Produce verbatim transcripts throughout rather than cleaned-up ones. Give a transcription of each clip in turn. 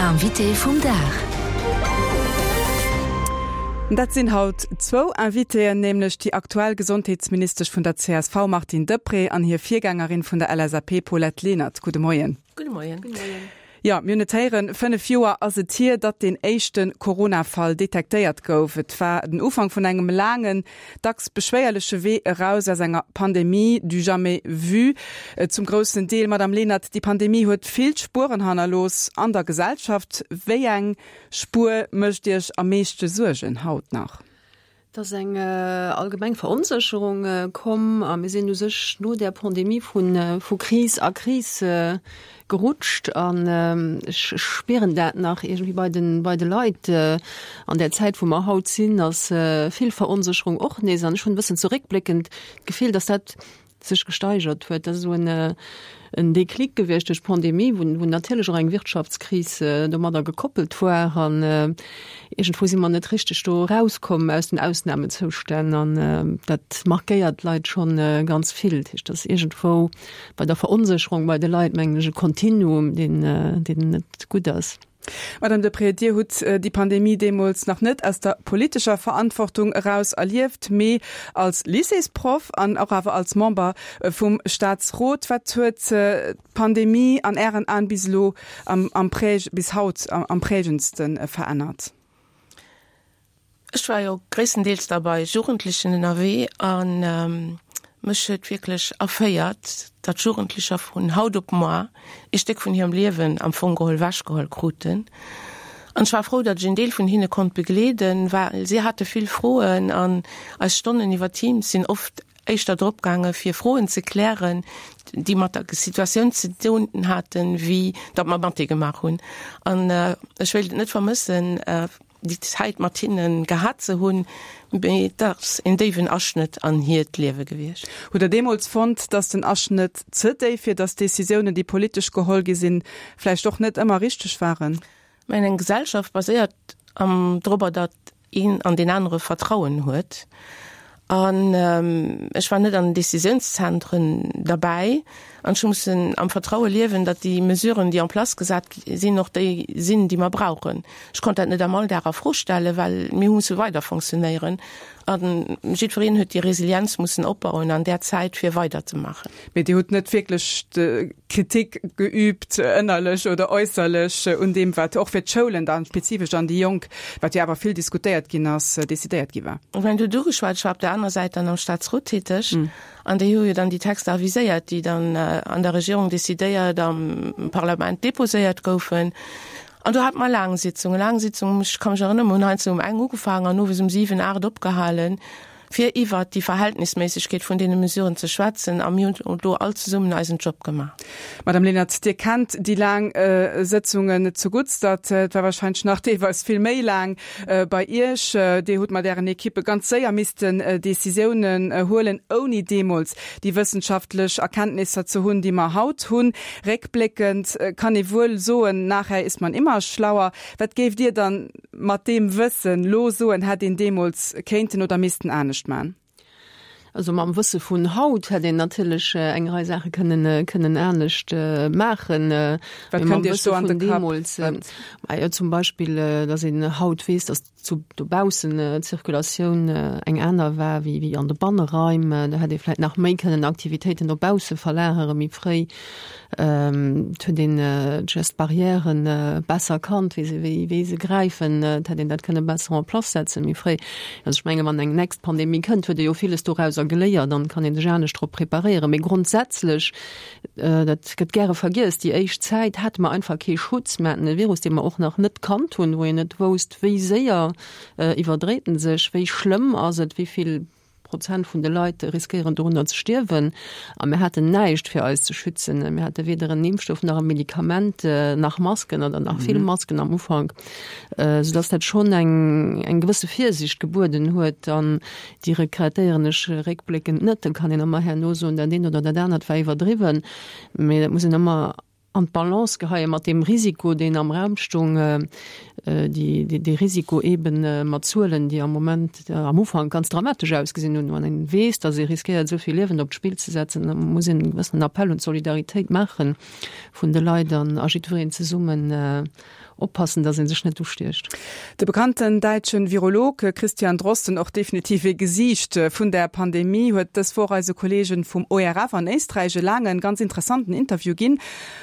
Invité vum Dag. Dat sinn haut zwou Invitéen, nämlech déi aktuell Gesondheetsministesch vun der C S V Martine Deprez an hir Virgängerin vun der L S A P Paulette Lenert. Gudde Moien. Gudde Moien. Gudde Moien. Ja, mir hunn et héieren, fënnef Joer ass et hier, datt den éischte Corona-Fall detektéiert gouf. Et war den Ufank vun engem laangen, dacks beschwéierleche Wee eraus aus enger Pandemie du jamais vu. Zum groussen Deel, Madame Lenert, déi Pandemie huet vill Spueren hannerlooss an der Gesellschaft. Wéi eng Spuer mécht Iech am meeschte Suergen haut nach? Et ass eng allgemeng Veronsécherung komm a mir sinn u sech no der Pandemie vu vu Kris a Kris gerutscht an ech spieren dat nach iergendwéi bei den bei de Leit. An der Zäit wou mer haut sinn, ass vill Veronsécherung och nees an ech hunn e bëssen zeréckbléckend d'Gefill, dass dat sech gesteigert huet. Dat ass esou en en Déclic gewiescht duerch d'Pandemie, wou wou natierlech och eng Wirtschaftskris domadder gekoppelt war an iergendwou si mer net richteg do erauskomm aus den Ausnahmezoustänn an dat markéiert d'Leit schonn ganz vill. Dat heescht, dass iergendwou bei der Veronsécherung bei de Leit, mengen ech, e Kontinuum, deen deen net gutt ass. Madame Deprez, Dir hutt déi Pandemie deemools nach net aus der politescher Verantwortung eraus erlieft, mee als Lycéesproff an och awer als Member vum Staatsrot. Wat huet d'Pandemie an Ären Aen bis elo am, am Präg, bis haut am, am prägendste verännert? Ech war jo gréisstendeels da bei Jugendlechen ënnerwee an mech huet wierklech erféiert, datt Jugendlecher vun haut op muer e Stéck vun hirem Liewen am Fong geholl ewechgeholl kruten. An ech war frou, datt ech en Deel vun hinne konnt begleeden, well si hate vill Froen an eis Stonnen iwwer Teams sinn oft éischter drop gaange fir Froen ze klären, déi mat der Situatioun ze doen haten, wéi datt mer Mathé gemaach hunn. An ech wéilt et net vermëssen, déi Zäit mat hinnen gehat ze hunn, mee et ass en déiwen Aschnëtt an hiert Liewe gewiescht. Hutt Der deemools fonnt, datt den Aschnëtt ze déif wier, datt d'Decisiounen, déi politesch geholl gi sinn, vläicht och net ëmmer richteg waren? Mä eng Gesellschaft baséiert am dorobber, datt een an deen anere Vertrauen huet. An ech war net an den Decisiounszentren derbäi an ech hu mussen am Vertraue liewen, datt déi Mesuren, déi en place gesat sinn, och déi sinn, déi mer brauchen. Ech konnt dat net am Alldag a Fro stellen, well mir hu musse weider fonctionnéieren a jiddwereen huet déi Resilienz mussen opbauen an där Zäit, fir weiderzemaachen. Mee Dir hutt net wierklech Kritik geüübt, ënnerlech oder äusserlech, un deem, wat och fir d'Schoulen dann spezifesch an déi Jonk, wat jo awer vill diskutéiert ginn ass, decidéiert gi war? Ech mengen, du hutt ugeschwat, ech war op der anerer Säit dann am Staatsrot täteg an déi hu jo dann déi Texter aviséiert, déi dann an der Regierung decidéiert, am Parlament deposéiert goufen. An do hate mer laang Sitzungen, laang Sitzungen, ech ka mech erënneren, mer hunn heiansdo um eng ugefaangen an owes um siwen, aacht opgehalen, fir iwwert déi Verhältnisméissegkeet vun deene Mesuren ze schwätzen a mir hunn do all zesummen eisen Job gemaach. Madame Lenert, Dir kennt déi laang Sëtzungen zu Guttst, dat war wahrscheinlech nach deelweis vill méi laang bei Iech. Dir hutt mat Ären Ekippe ganz séier missten Decisiounen huelen, ouni deemools déi wëssenschaftlech Erkenntnisser ze hunn, déi mer haut hunn. Réckbléckend kann ee wuel soen, nachher ist man immer schlauer. Wat géift Dir dann mat deem Wëssen lo soen, hätt een deemools kéinten oder missten anescht man? Also mam Wësse vun haut hätt een natierlech eng Rei Saache kënnen kënnen anescht maachen. Wat kënnt Iech do an de Kapp? Jo, zum Beispill, datt een haut weess, datt zu dobaussen d'Zirkulatioun eng aner war wéi wéi an de Banneraim. Do hätt ee vläicht nach méi kënnen Aktivitéiten dobausse verlagere méi fréi. Et huet een d'Gestes barrièren besser kannt, wéi se wéi wéi se gräifen. Et hätt een dat kënne besser en place setzen méi fréi. Also ech menge wann eng nächst Pandemie kënnt, huet ee jo villes dorauser geléiert, dann kann een sech anescht drop preparéieren. Mee grondsätzlech, dat gëtt gäre vergiess, déi éischt Zäit hate mer einfach kee Schutz. Mir haten e Virus, dee mer och nach net kannt hunn, wou een net wousst, wéi séier iwwerdréit en sech, wéi schlëmm ass et, wéi vill Prozent vun de Leit riskéieren dorunner ze stierwen. A mir haten näischt fir eis ze schützen. Mir hate weder en Impfstoff nach e Medikament, nach Masken oder nach vill Masken am Ufank, soudass dat schonn eng eng gewësse Virsiicht gebueden huet. An déi regrettéieren ech réckbléckend net. Da kann een ëmmer herno soen, dat eent oder dat anert war iwwerdriwwen, mee dat muss een ëmmer an d'Balance geheie mat deem Risiko, deen am Raum stoung, dee Risiko eeben mat Zuelen, déi am Moment, am Ufank ganz dramatesch ausgesinn hunn. Wann ee weess, datt ee riskéiert, esou vill Liewen op d'Spill ze setzen, da muss een e gewëssenen Appell un d'Solidaritéit maache vun de Leit an a jiddwereen zesummen oppassen, datt ee sech net ustiecht. De bekannten däitsche Virolog Christian Drosten, och definitiv ee Gesiicht vun der Pandemie, huet dës Woch eise Kolleegen vum O R F an Éisträich e laangen, ganz interessanten Interview ginn,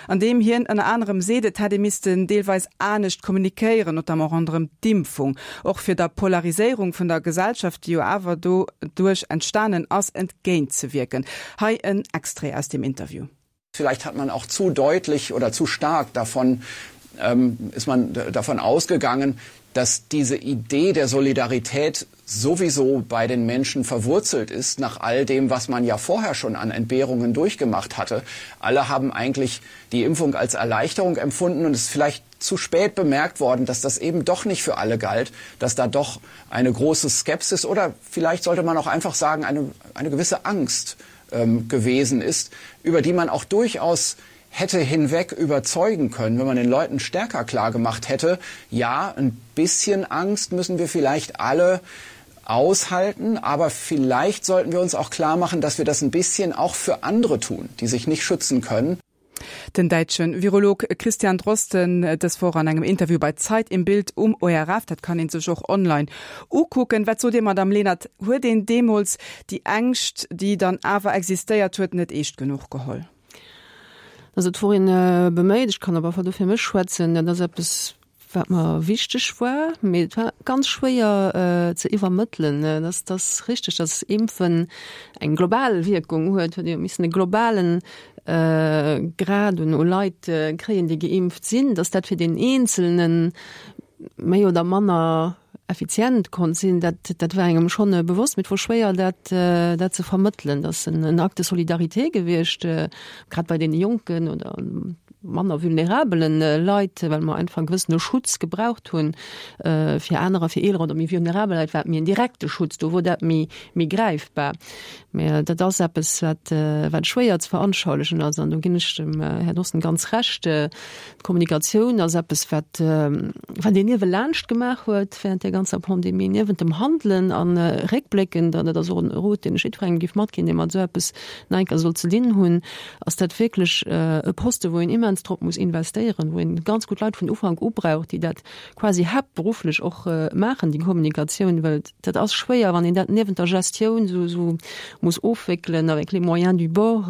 an deem hien ënner anerem seet, et hätt ee missten deelweis anescht kommunikéieren, notamment ronderëm d'Impfung, och fir der Polariséierung vun der Gesellschaft, déi jo awer doduerch entstanen ass, entgéintzewierken. Hei en Extrait aus dem Interview. Vielleicht hat man auch zu deutlich oder zu stark davon ähm, ist man davon ausgegangen, dass diese Idee der Solidarität sowieso bei den Menschen verwurzelt ist, nach all dem, was man ja vorher schon an Entbehrungen durchgemacht hatte. Alle haben eigentlich die Impfung als Erleichterung empfunden und es ist vielleicht zu spät bemerkt worden, dass das eben doch nicht für alle galt, dass da doch eine große Skepsis oder vielleicht sollte man auch einfach sagen, eine, eine gewisse Angst ähm, gewesen ist, über die man auch durchaus hätte hinweg überzeugen können, wenn man den Leuten stärker klar gemacht hätte, ja, ein bisschen Angst müssen wir vielleicht alle aushalten, aber vielleicht sollten wir uns auch klar machen, dass wir das ein bisschen auch für andere tun, die sich nicht schützen können. Den däitsche Virolog Christian Drosten dës Woch an engem Interview bei Zeit im Bild um O R F, dat kann een sech och online ukucken. Wat sot Dir, Madame Lenert, huet een deemools déi Ängscht, déi dann awer existéiert huet, net eescht genuch geholl? Also et wor een beméit, ech kann awer do fir mech schwätzen, dat ass eppes wat mer wichteg war, mee et war ganz schwéier ze iwwermëttelen. Dat ass richteg, datt Impfen eng global Wierkung huet, huet ee jo missen e globalen Grad un u Leit kréien, déi geimpft sinn, datt dat fir deen Eenzelne méi oder manner effizient konnt sinn, dat, dat war engem schonn bewosst, mee et wor schwéier dat, dat ze vermëttelen. Dat ass en, en Acte de solidarité gewiescht, grad bei deene Jonken oder manner vulnerabelen Leit, well mer einfach e gewëssene Schutz gebraucht hunn. Fir anerer, fir eeler oder méi vulnerabel Leit war et méi en direkte Schutz, do wor dat méi, méi gräifbar. Mä dat ass eppes, wat, wat schwéier ze veranschaulichen ass an do ginn ech dem Här Drosten ganz Recht. D'Kommunikatioun ass eppes, wat, wat een niewelaanscht gemaach huet während där ganzer Pandemie, niewent dem Handelen a réckbléckend, an dat ass och en Rot, deen ech jiddwerengem géif matginn, dee mat esou eppes nach eng Kéier soll ze dinn hunn, ass dat wierklech e Poste, wou een immens drop muss investéieren, wou een ganz gutt Leit vun Ufank u brauch, déi dat quasi haaptberufflech och maachen, déi Kommunikatioun, well dat ass schwéier, wann een dat niewent der Gestioun esou muss ofwéckelen, avec les moyens du bord,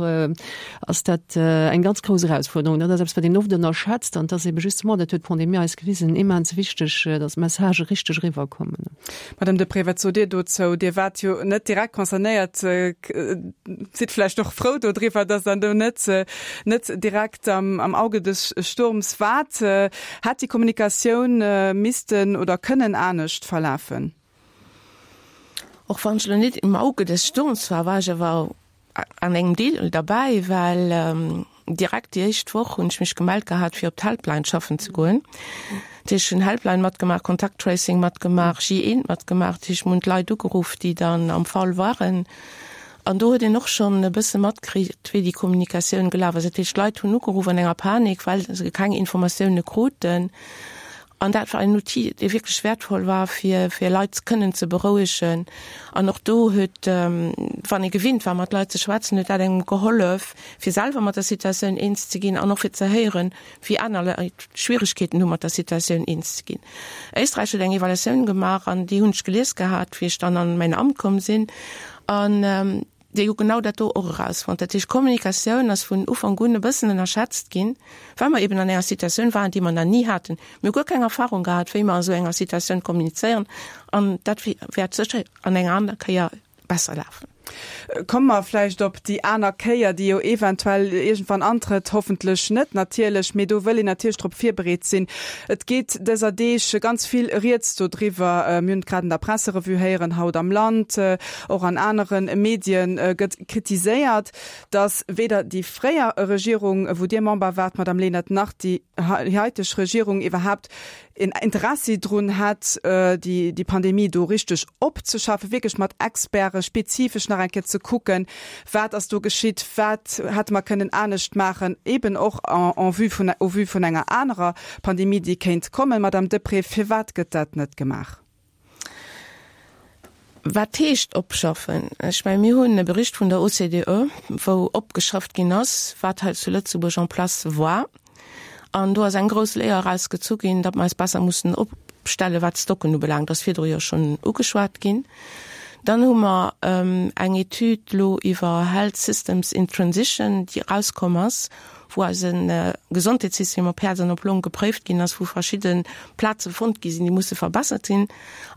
ass dat eng ganz grouss Erausfuerderung. Dat ass eppes, wat een oft ënnerschätzt an dat ass ebe justement, dat huet d'Pandemie eis gewisen, immens wichteg, dass d'Messagë richteg eriwwerkommen. Madame Deprez, wat sot Dir dozou? Dir waart jo net direkt concernéiert, sidd vläicht och frou dodriwwer, dass Der do net net direkt am am Auge des Sturms waart. Hätt déi Kommunikatioun missten oder kënnen anescht verlafen? Och wann ech lo net im Auge des Sturms war, war ech awer an engem Deel derbäi, well direkt déi éischt Woch hunn ech mech gemellt gehat, fir op d'Helpline schaffen ze goen. Dat heescht, ech hunn Helpline matgemaach, Contact Tracing matgemaach, J eent matgemaach. Dat heescht, mir hunn d'Leit ugeruff, déi dann am Fall waren. An do huet een och schonn e bësse matkritt, wéi déi Kommunikatioun gelaf ass. Dat heescht, d'Leit hunn ugeruff an enger Panik, well se keng Informatioune kruten. An dat war en Outil, dee wierklech wäertvoll war, fir, fir Leit kënnen ze berouegen. An och do huet, wann ee gewinnt war, mat Leit ze schwätzen, huet dat engem gehollef, fir selwer mat der Situatioun eens ze ginn an och fir ze héieren, wéi aner Leit Schwieregkeeten hu mat der Situatioun eens ze ginn. Éisträich huet eng Evaluatioun gemaach an déi hunn ech gelies gehat, wéi ech dann an mäin Amt komm sinn. An déi hu genau dat do och erausfonnt. Dat heescht, d'Kommunikatioun ass vun Ufank un e bëssen ënnerschätzt ginn, well mer eben an enger Situatioun waren, déi mer nach ni haten. Mir hu guer keng Erfahrung gehat, wéi mer an esou enger Situatioun kommunizéieren. An dat wäert sécher an enger aner Kéier besser lafen. Komme mer vläicht op déi aner Kéier, déi jo eventuell iergendwann antrëtt, hoffentlech net natierlech, mee do wëll een natierlech drop virbereet sinn. Et geet dëser Deeg ganz vill Rieds dodriwwer, mir hunn et grad an der Presserevue héieren, haut am Land, och an anere Medien gëtt kritiséiert, datt weder déi fréier Regierung, wou Dir Member waart, Madame Lenert, nach déi haiteg Regierung iwwerhaapt en Interessi drun hätt, déi Pandemie do richteg opzeschaffen, wierklech mat Experte spezifesch nach nach eng Kéier ze kucken, wat ass do geschitt, wat hätte mer kënnen anescht maachen, eben och en vue vun, au vu vun enger anerer Pandemie, déi kéint kommen. Madame Deprez, firwat gëtt dat net gemaach? Wat heescht opschaffen? Ech mengen, mir hunn e Bericht vun der OCDE, wou opgeschafft ginn ass, wat hei zu Lëtzebuerg en place war. An do ass eng grouss Léier erausgezu ginn, datt mer eis besser mussen opstellen, wat d'Stocken ubelaangt. Dat ass virdru jo schonn ugeschwat ginn. Dann hu mer eng Etüd elo iwwer Health Systems in Transition, déi erauskomm ass, wou eise Gesondheetssystem op Häerz an op Long gepréift ginn ass, wou verschidde Plaze fonnt gi sinn, déi musse verbessert sinn.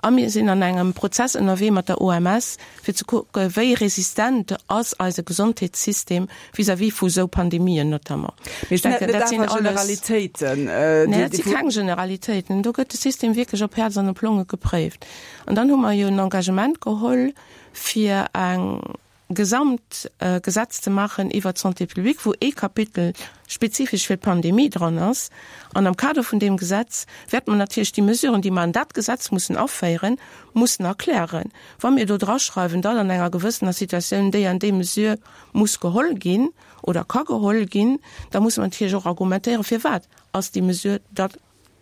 A mir sinn an engem Prozess ënnerwee mat der OMS, fir ze kucke wéi resistent ass eise Gesondheetssystem vis-à-vis vu sou Pandemien notamment. Mee dat sinn net awer Generalitéiten? Nee, dat si keng Generalitéiten. Do gëtt de System wierklech op Häerz an op Longe gepréift. An dann hu mer jo en Engagement geholl, fir eng gesamt Gesetz ze maachen iwwert d'Santé publique, wou ee Kapitel spezifesch fir d'Pandemie dran ass. An am Kader vun deem Gesetz wäerte mer natierlech déi Mesuren, déi mer an dat Gesetz mussen aféieren, mussen erklären. Wa mir do draschreiwen, datt an enger gewëssener Situatioun déi an déi Mesure muss geholl ginn oder ka geholl ginn, da musse mer natierlech och argumentéieren, firwat ass déi Mesure da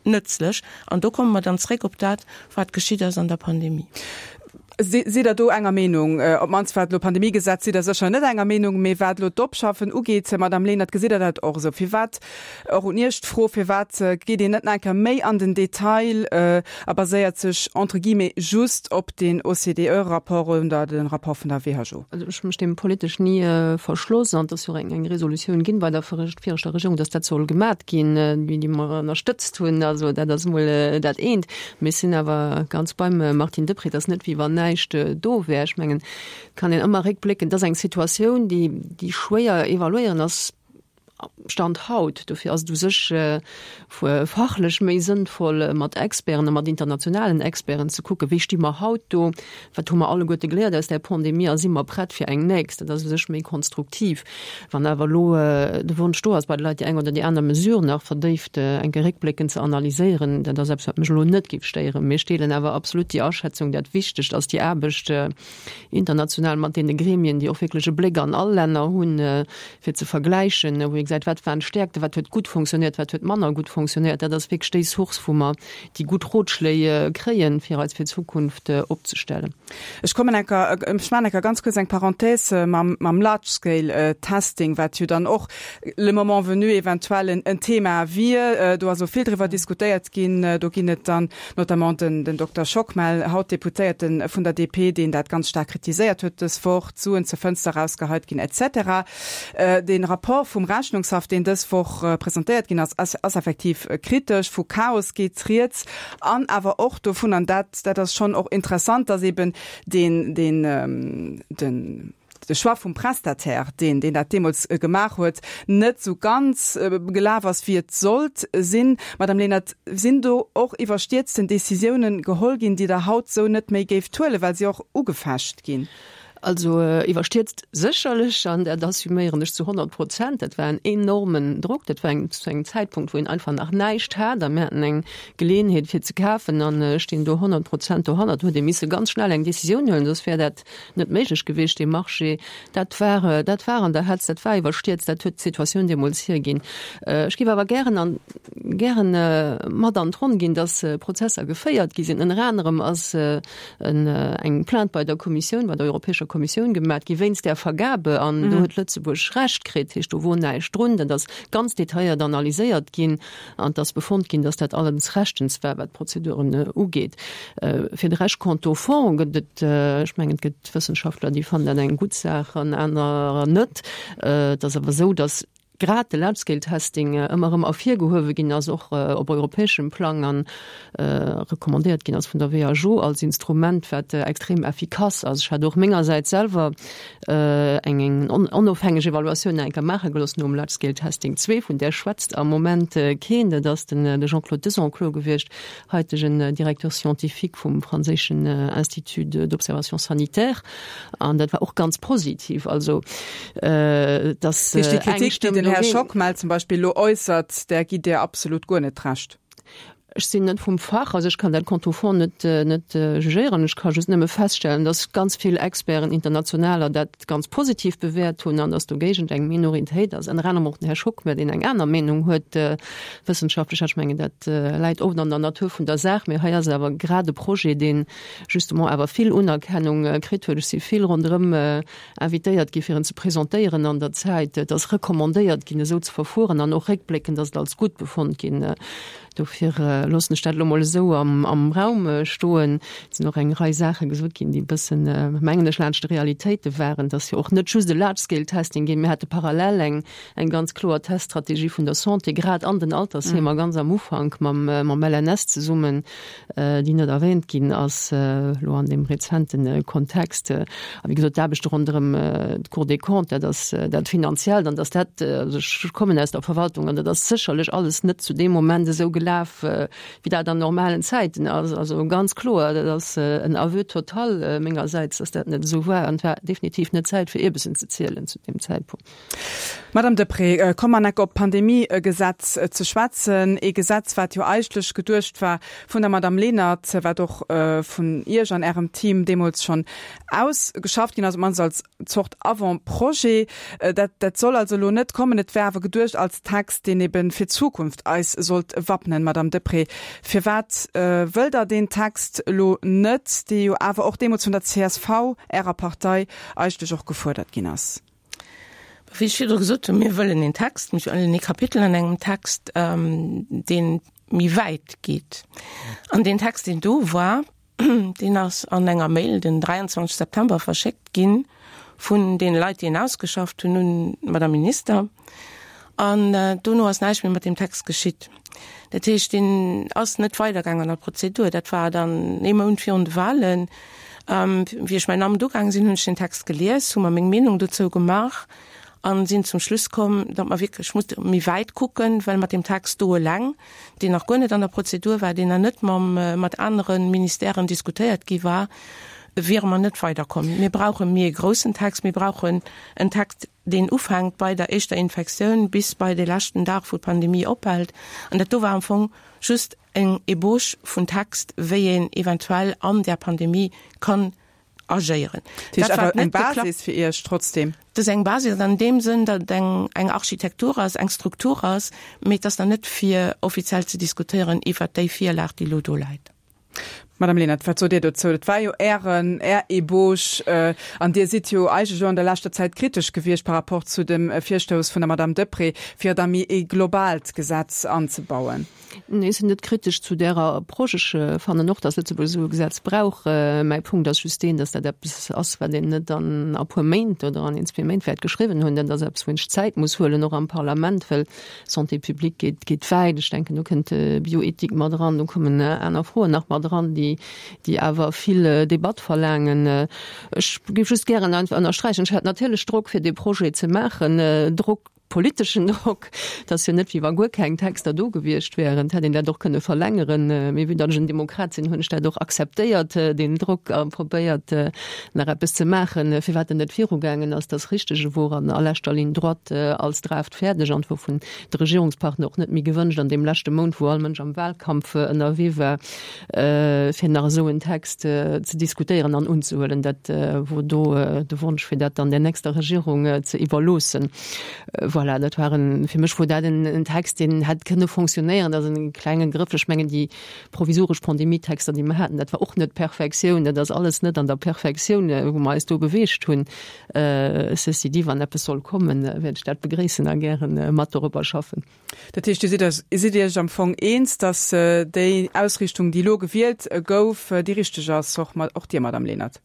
nëtzlech. An do komme mer dann zréck op dat, wat geschitt ass an der Pandemie. Sidd Der do enger Meenung? Op d'mannst wat elo d'Pandemiegesetz, sidd Der sécher net enger Meenung, mee wat elo d'Opschaffen ugeet, Madame Lenert, gesitt Der dat och esou? Firwat, och un Iech d'Fro, firwat geet een net nach eng Kéier méi an den Detail a baséiert sech entre guillemets just op den OCDE-Rapport oder de Rapport vun der WHO? Also ech hu mech deem politesch ni verschloss an et ass jo och eng Resolutioun ginn bei der viregter Regierung, datt dat soll gemat ginn, déi mer ënnerstëtzt hunn. Also dat ass emol dat eent. Mee ech sinn awer ganz beim Martine Deprez, et ass net wéi wann näischt do wär. Ech mengen, et kann een ëmmer réckblécken, et ass eng Situatioun, déi, déi schwéier evaluéieren ass, Stand haut. Dofir ass et u sech fachlech méi sënnvoll, mat Experten a mat internationalen Experten ze kucken, wéi sti mer haut do, wat hu mer alleguerte geléiert aus där Pandemie a si mer prett fir eng nächst. Dat ass u sech méi konstruktiv. Wann awer elo de Wonsch do ass bei de Leit, déi eng oder déi aner Mesure nach verdéift eng Kéier réckbléckend ze analyséieren, dat ass eppes, wat mech elo net géif stéieren. Mee ech deelen awer absolut déi Aschätzung, dat Wichtegst ass déi Aarbecht international mat deene Gremien, déi och wierklech e Bléck an all Länner hunn, fir ze vergläichen, wou ee gesäit, wat waren d'Stäerkten, wat huet gutt fonctionnéiert, wat huet manner gutt fonctionnéiert. Dat ass wierklech déi Source, wou mer déi gutt Rotschléi kréien, fir eis fir d'Zukunft opzestellen. Ech kommen eng Kéier, ech maachen eng Kéier ganz kuerz eng Parenthèse mam, mam Large Scale Testing, wat jo dann och le moment venu eventuell en, en Thema wier. Do ass och vill driwwer diskutéiert ginn. Do ginn et dann notamment den, den Dokter Schockmel, haut Deputéierten vun der DP, deen dat ganz staark kritiséiert huet dës Woch, d'Suen zur Fënster erausgeheit ginn et cetera. Dee Rapport vum Rechnungshaff, deen dës Woch presentéiert ginn ass, ass effektiv kritesch. Vu Chaos geet rieds an awer och dovun, an dat dat ass schonn och interessant, datt eben deen, deen, den, de Choix vum Prestataire, deen, deen dat deemools gemaach huet, net esou ganz gelaf ass, wéi et sollt sinn. Madame Lenert, sinn do och iwwerstierzten Décisiounen geholl ginn, déi Der haut esou net méi géift huelen, well se och ugefecht ginn? Also iwwerstierzt sécherlech, an dat assuméieren ech zu honnert Prozent. Dat war en enormen Drock. Dat war eng, zu engem Zäitpunkt, wou een einfach nach näischt hat a mir haten eng Geleeënheet fir ze kafen an ech stinn do honnert Prozent dohannert. Do huet ee misse ganz schnell eng Decisioun huelen, soss wär dat net méiglech gewiescht, dee Marché. Dat war, dat war an der Hetz, dat war iwwerstierzt, dat huet d'Situatioun deemools hierginn. Ech géif awer gären an, gären mat an d'Ronn ginn, dass Prozesser geféiert gi sinn. Ënner anerem ass eng Plainte bei der Kommissioun, bei der Europäescher Kommissioun gemat gi wéinst där Vergabe an do huet Lëtzebuerg Recht kritt. Heescht, do wor näischt drun. Dat ass ganz detailléiert analyséiert ginn an et ass befonnt ginn, dass dat alles rechtens war, wat d'Prozeduren ugeet. Fir de Rescht, quant au fond, gëtt et, ech mengen, et gëtt Wëssenschaftler, déi fannen dat eng gutt Saach an anerer net. Et ass awer esou, dass grad de Large-Scale Testing ëmmer erëm ervirgehuewe ginn ass, och op europäeschem Plang, an recommandéiert ginn ass vun der WHO als Instrument, wat extrem effikass ass. Ech hat och mengersäits selwer eng onofhängeg Evaluatioun nach eng Kéier maache gelooss nom Large-Scale Testing zwee, vun där schwätzt am Moment keen, dat ass den Jean-Claude Desenclos gewiescht, haitegen Directeur scientifique vum franséischen Institut d'observation sanitaire, an dat war och ganz positiv. Also dass Heescht déi Kritik, déi den Här Schockmel zum Beispill elo äussert, där gitt Dir absolut guer net Recht? Ech sinn net vum Fach, also ech kann dat quant au fond net, net jugéieren. Ech ka just nëmme feststellen, dass ganz vill Experten, internationaler, dat ganz positiv bewäert hunn an dass dogéigent eng Minoritéit ass, ënner anerem och den Här Schockmel, deen eng aner Meenung huet wëssenschaftlech. Ech mengen, dat läit oft an der Natur vun der Saach. Mee hei ass awer grad e Projet, dee justement awer vill Unerkennung kritt huet. Ech si vill ronderëm invitéiert gi fir en ze presentéieren an der Zäit. Et ass recommandéiert ginn, esou ze verfueren an och réckbléckend ass et als gutt befonnt ginn. Dofir loossen ech dat elo mol esou am Raum stoen. Et sinn och eng Rei Saache gesot ginn, déi e bëssen, mengen ech, laanscht de Realitéite waren. Et ass jo och net just e Large-Scale-Testing ginn. Mir hate parallel eng eng ganz kloer Teststrategie vun der Santé, grad an den Altersheemer, ganz am Ufank mam mam L N S zesummen, déi net erwähnt ginn ass elo an deem rezente Kontext. A wéi gesot, d'Aarbechte ronderëm d'Cour des Comptes, dat ass dat Finanziellt an dass dat, also ech kommen aus der Verwaltung, an dat ass sécherlech alles net zu deem Moment esou gelaf, wéi dat an normalen Zäiten ass. Also ganz kloer, dat ass en Aveu total mengersäits, dass dat net esou war. An et war definitiv net Zäit, fir Ierbessen ze zielen zu deem Zäitpunkt. Madame Deprez, komme mer nach op d'Pandemiegesetz ze schwätzen. Ee Gesetz, wat jo eigentlech geduecht war vun der Madame Lenert, wat och vun Iech an Ärem Team deemools schonn ausgeschafft ginn ass, op d'mannst als Zort Avant-projet. Dat, dat soll also elo net kommen. Et wär awer geduecht als Text, deen eben fir d'Zukunft eis sollt wappnen. Madame Deprez, firwat wëllt Der deen Text elo net, dee jo awer och deemools vun der C S V, Ärer Partei, eigentlech och gefuerdert ginn ass? Wéi ech virdru gesot hunn, mir wëllen een Text, mir wëllen ee Kapitel an engem Text, dee méi wäit geet. An deen Text, deen do war, deen ass an enger Mail den dräianzwanzeg September verschéckt gi vun deene Leit, déi en ausgeschafft hunn, un d'Madame Minister. An dono ass näischt méi mat deem Text geschitt. Dat heescht, deen ass net weidergaangen an der Prozedur. Dat war dann ee Mount virun de Wahlen. Wéi ech mäin Amt ugaange sinn, hunn ech den Text gelies, hu mer meng Meenung dozou gemaach a sinn zum Schluss komm, datt mer wierklech musse méi wäit kucken, well mat deem Text do eleng, deen nach guer net an der Prozedur war, deen nach net mam, mat anere Ministèren diskutéiert gi war, wiere mer net weiderkomm. Mir brauche méi e groussen Text. Mir brauchen en Text, deen ufänkt bei der éischter Infektioun bis bei de leschten Dag, wou d'Pandemie ophält. An dat do war am Fong just eng Ebauche vun Text, wéi een eventuell an där Pandemie kann agéieren. Dat ass awer eng Basis fir Iech trotzdem? Dat ass eng Basis an deem Sënn, datt et eng, eng Architektur ass, eng Struktur ass, mee et ass nach net fir offiziell ze diskutéieren iwwert déi Virlag, déi elo do läit. Madame Lenert, wat sot Dir dozou? Dat war jo Ären, Är Ebauche, an Dir sidd jo eigentlech elo an der leschter Zäit kritesch gewiescht par rapport zu dem Virstouss vun der Madame Deprez, fir da méi ee globaalt Gesetz anzebauen. Nee, ech sinn net kritesch zu där Approche. Ech fannen och, datt Lëtzebuerg esou e Gesetz brauch. Mäi Punkt ass just deen, datt dat eppes ass, wat een net an a puer Méint oder an een, zwee Méint wäert geschriwwen hunn. Dat ass eppes, wou een sech Zäit muss huelen, och am Parlament, well Santé publique geet, geet wäit. Ech denken, do kënnt Bioethik mat eran, do kommen aner Froen nach mat eran, déi, déi awer vill Debatt verlaangen. Ech géif just gären einfach ënnersträichen, ech hat natierlech Drock, fir dee Projet ze maachen, Drock, politeschen Drock, et ass jo net, wéi wa guer keng Texter do gewiescht wären, et hätt een dat och kënne verlängeren, mee vue datt ech en Demokrat sinn, hunn ech dat och akzeptéiert, deen Drock, a probéiert, nach eppes ze maachen. Firwat en net virugaangen ass, dat ass richteg, e wor an a leschter Ligne droite als Draft fäerdeg an et wor vun de Regierungspartner och net méi gewënscht an deem leschte Mount, wou all Mënsch am Wahlkampf ënnerwee war, fir nach esou en Text ze diskutéieren an unzehuelen. Dat wor do de Wonsch, fir dat dann der nächster Regierung ze iwwerloossen. Voilà, dat war en, fir mech wor dat en Text, deen hätt kënne fonctionnéieren. Dat ass e klenge Grëff. Ech mengen, déi provisoresch Pandemietexter, déi mer haten, dat war och net d'Perfektioun. Dat ass alles net an der Perfektioun, wou mer eis do beweegt hunn. Ceci dit, wann eppes soll kommen, wäert ech dat begréissen a gäre mat dorobber schaffen. Dat heescht, Dir sidd sidd Iech am Fong eens, datt déi Ausriichtung, déi elo gewielt gouf, déi richteg ass, och och Dir, Madame Lenert?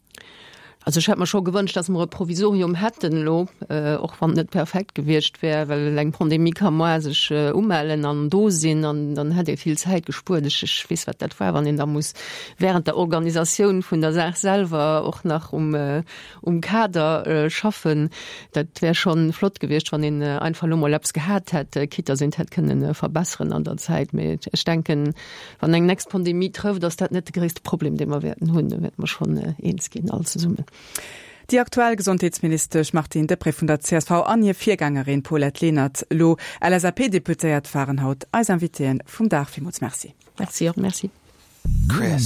Also ech hätt mer scho gewënscht, datt mer e Provisorium hätten elo, och wann et net perfekt gewiescht wär, well eng Pandemie ka moar sech umellen an do sinn an dann hätt ee vill Zäit gespuert. Ech ech weess, wat dat war, wann een da muss während der Organisatioun vun der Saach selwer och nach um um Kader schaffen. Dat wär scho flott gewiescht, wann een einfach elo mol eppes gehat hätt, quitte datt een et hätt kënnen verbesseren an der Zäit. Mee ech denken, wann eng nächst Pandemie trëfft, ass dat net de gréisste Problem, dee mer wäerten hunn. Do wäerte mer schonn eens ginn all zesummen. Déi aktuell Gesondheetsministesch Martine Deprez vun der C S V an hir Virgängerin Paulette Lenert, elo L S A P-Deputéiert, waren haut eis Invitéeën vum Dag. Villmools Merci. Merci och. Merci. Chris.